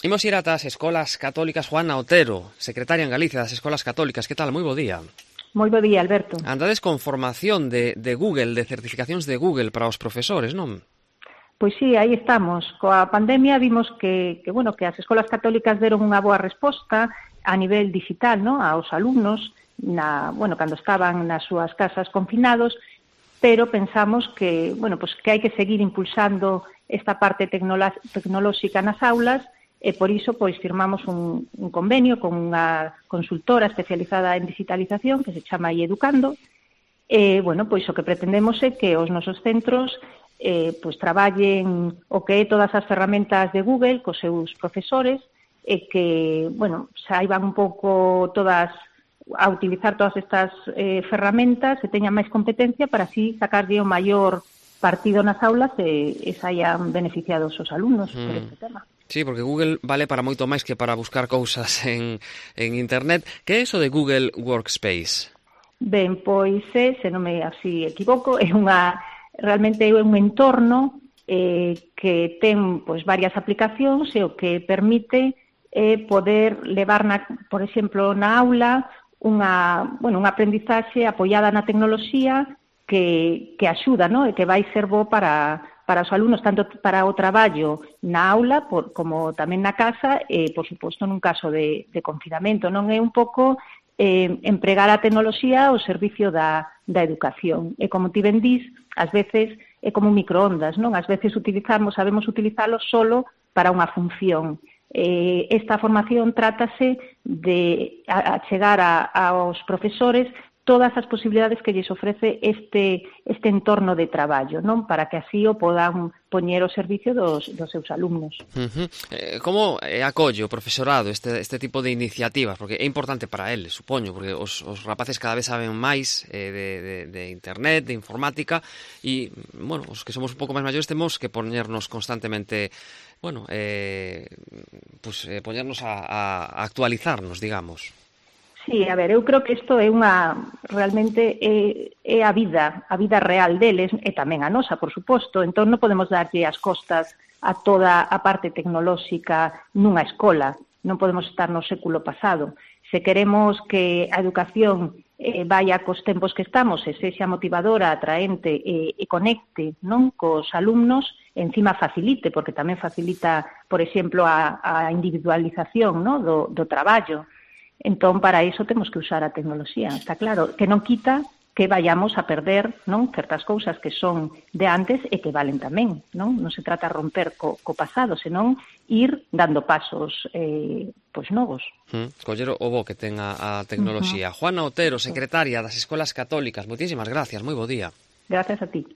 Imos ir ata as escolas católicas. Juana Otero, secretaria en Galicia das Escolas Católicas. Que tal? Moi bo día. Moi bo día, Alberto. Andades con formación de Google, de certificacións de Google para os profesores, non? Pois sí, aí estamos. Coa pandemia vimos que as escolas católicas deron unha boa resposta a nivel digital, non? Aos alumnos, cando estaban nas súas casas confinados, pero pensamos que hai que seguir impulsando esta parte tecnolóxica nas aulas e por iso firmamos un convenio con unha consultora especializada en digitalización que se chama iEducando. O que pretendemos é que os nosos centros traballen o que é todas as ferramentas de Google cos seus profesores e que, saiban un pouco todas a utilizar todas estas ferramentas e teñan máis competencia para así sacarlle o maior partido nas aulas e saian beneficiados os alumnos por este tema. Sí, porque Google vale para moito máis que para buscar cousas en Internet. Que é iso de Google Workspace? Ben, pois se non me así equivoco, realmente é un entorno que ten varias aplicacións e o que permite poder levar, por exemplo, na aula unha aprendizaxe apoiada na tecnoloxía que axuda, e que vai ser bo para os alumnos, tanto para o traballo na aula como tamén na casa e, por suposto, nun caso de confinamento. Non é un pouco empregar a tecnoloxía ao servicio da educación. E como ti ben dís, ás veces é como un microondas, non? Ás veces sabemos utilizalo solo para unha función. Esta formación trátase de achegar aos profesores todas as posibilidades que lles ofrece este entorno de traballo, non? Para que así o podan poñer ao servicio dos seus alumnos. Como acolle o profesorado este tipo de iniciativas? Porque é importante para eles, supoño, porque os rapaces cada vez saben máis de internet, de informática, e, os que somos un pouco máis maiores temos que poñernos constantemente, poñernos a actualizarnos, digamos. Sí, a ver, eu creo que isto é realmente é a vida real deles e tamén a nosa, por suposto. Entón non podemos darlle as costas a toda a parte tecnolóxica nunha escola. Non podemos estar no século pasado. Se queremos que a educación vaya cos tempos que estamos e sexa motivadora, atraente e conecte, non, cos alumnos, encima facilite, porque tamén facilita, por exemplo, a individualización, non, do traballo. Entón, para iso temos que usar a tecnoloxía. Está claro que non quita que vayamos a perder, non, certas cousas que son de antes e que valen tamén, non? Non se trata de romper co pasado, senón ir dando pasos novos. Coller o bo que ten a tecnoloxía. Juana Otero, secretaria das Escolas Católicas. Moitísimas gracias, moi bo día. Gracias a ti.